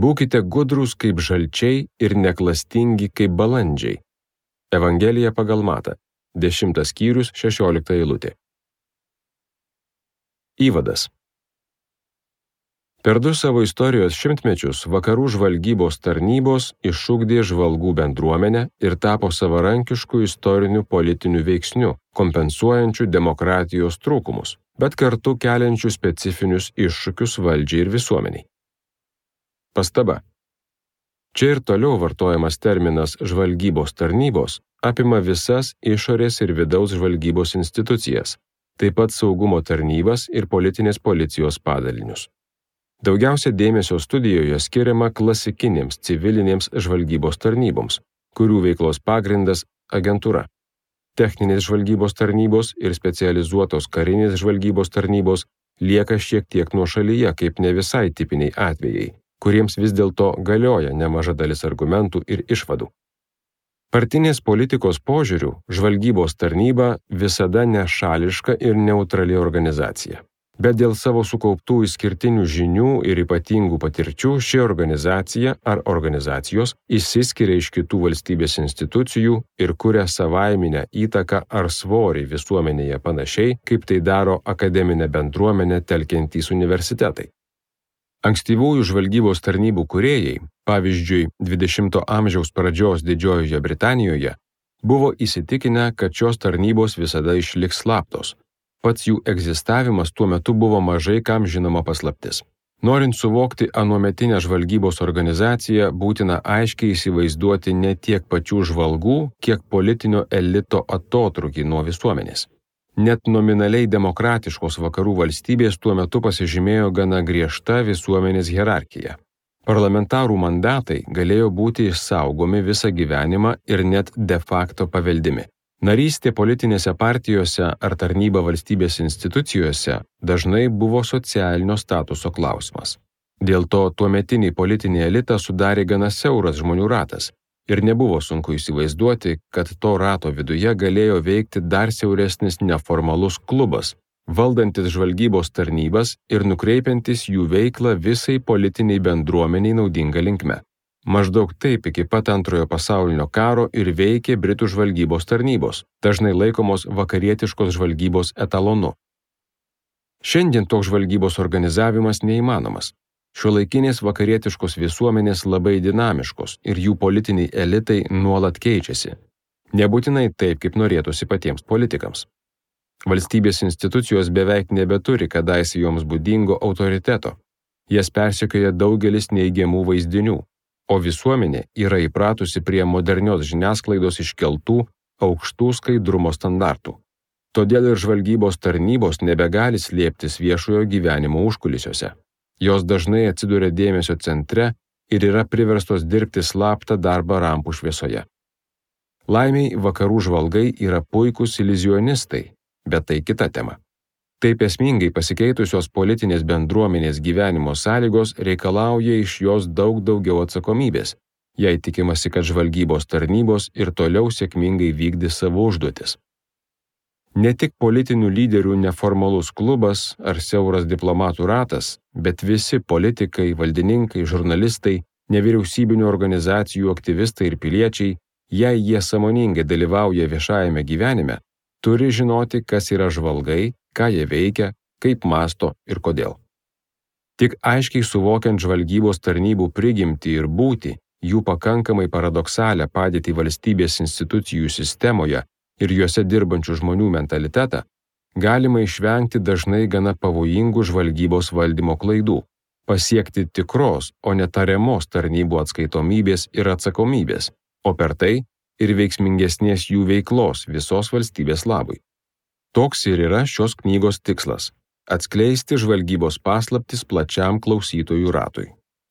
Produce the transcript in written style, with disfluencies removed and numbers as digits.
Būkite gudrūs kaip žalčiai ir neklastingi kaip balandžiai. Evangelija pagal Matą, 10 skyrius, 16 eilutė. Įvadas. Per 2 savo istorijos šimtmečius vakarų žvalgybos tarnybos išugdė žvalgų bendruomenę ir tapo savarankišku istoriniu politiniu veiksniu, kompensuojančiu demokratijos trūkumus, bet kartu keliančiu specifinius iššūkius valdžiai ir visuomeniai. Pastaba. Čia ir toliau vartojamas terminas žvalgybos tarnybos apima visas išorės ir vidaus žvalgybos institucijas, taip pat saugumo tarnybas ir politinės policijos padalinius. Daugiausia dėmesio studijoje skiriama klasikinėms civilinėms žvalgybos tarnyboms, kurių veiklos pagrindas agentūra. Techninės žvalgybos tarnybos ir specializuotos karinės žvalgybos tarnybos lieka šiek tiek nuošalyje kaip ne visai tipiniai atvejai, kuriems vis dėlto galioja nemaža dalis argumentų ir išvadų. Partinės politikos požiūrių žvalgybos tarnyba visada nešališka ir neutrali organizacija. Bet dėl savo sukauptų išskirtinių žinių ir ypatingų patirčių ši organizacija ar organizacijos išsiskiria iš kitų valstybės institucijų ir kuria savaiminę įtaką ar svorį visuomenėje panašiai, kaip tai daro akademinę bendruomenę telkiantys universitetai. Ankstyvųjų žvalgybos tarnybų kūrėjai, pavyzdžiui, 20 amžiaus pradžios Didžiojoje Britanijoje, buvo įsitikinę, kad šios tarnybos visada išliks slaptos. Pats jų egzistavimas tuo metu buvo mažai kam žinoma paslaptis. Norint suvokti anuometinę žvalgybos organizaciją, būtina aiškiai įsivaizduoti ne tiek pačių žvalgų, kiek politinio elito atotrūkį nuo visuomenės. Net nominaliai demokratiškos vakarų valstybės tuo metu pasižymėjo gana griežta visuomenės hierarchija. Parlamentarų mandatai galėjo būti išsaugomi visą gyvenimą ir net de facto paveldimi. Narystė politinėse partijose ar tarnyba valstybės institucijose dažnai buvo socialinio statuso klausimas. Dėl to tuometinį politinį elitą sudarė gana siauras žmonių ratas ir nebuvo sunku įsivaizduoti, kad to rato viduje galėjo veikti dar siauresnis neformalus klubas, valdantis žvalgybos tarnybas ir nukreipiantis jų veiklą visai politiniai bendruomeniai naudinga linkme. Maždaug taip iki pat Antrojo pasaulinio karo ir veikė Britų žvalgybos tarnybos, dažnai laikomos vakarietiškos žvalgybos etalonu. Šiandien toks žvalgybos organizavimas neįmanomas. Šiuolaikinės vakarietiškos visuomenės labai dinamiškos ir jų politiniai elitai nuolat keičiasi. Nebūtinai taip, kaip norėtųsi patiems politikams. Valstybės institucijos beveik nebeturi kadaise joms būdingo autoriteto. Jas persekioja daugelis neigiamų vaizdinių. O visuomenė yra įpratusi prie modernios žiniasklaidos iškeltų aukštų skaidrumo standartų. Todėl ir žvalgybos tarnybos nebegali slėptis viešojo gyvenimo užkulisiuose. Jos dažnai atsiduria dėmesio centre ir yra priverstos dirbti slaptą darbą rampų šviesoje. Laimiai vakarų žvalgai yra puikūs iliuzionistai, bet tai kita tema. Taip esmingai pasikeitusios politinės bendruomenės gyvenimo sąlygos reikalauja iš jos daug daugiau atsakomybės, jei tikimasi, kad žvalgybos tarnybos ir toliau sėkmingai vykdys savo užduotis. Ne tik politinių lyderių neformalus klubas ar siauras diplomatų ratas, bet visi politikai, valdininkai, žurnalistai, nevyriausybinių organizacijų aktyvistai ir piliečiai, jei jie sąmoningai dalyvauja viešajame gyvenime, turi žinoti, kas yra žvalgai, ką jie veikia, kaip mąsto ir kodėl. Tik aiškiai suvokiant žvalgybos tarnybų prigimtį ir būtį, jų pakankamai paradoksalią padėtį valstybės institucijų sistemoje ir juose dirbančių žmonių mentalitetą, galima išvengti dažnai gana pavojingų žvalgybos valdymo klaidų, pasiekti tikros, o ne tariamos tarnybų atskaitomybės ir atsakomybės, o per tai ir veiksmingesnės jų veiklos visos valstybės labui. Toks ir yra šios knygos tikslas – atskleisti žvalgybos paslaptis plačiam klausytojų ratui.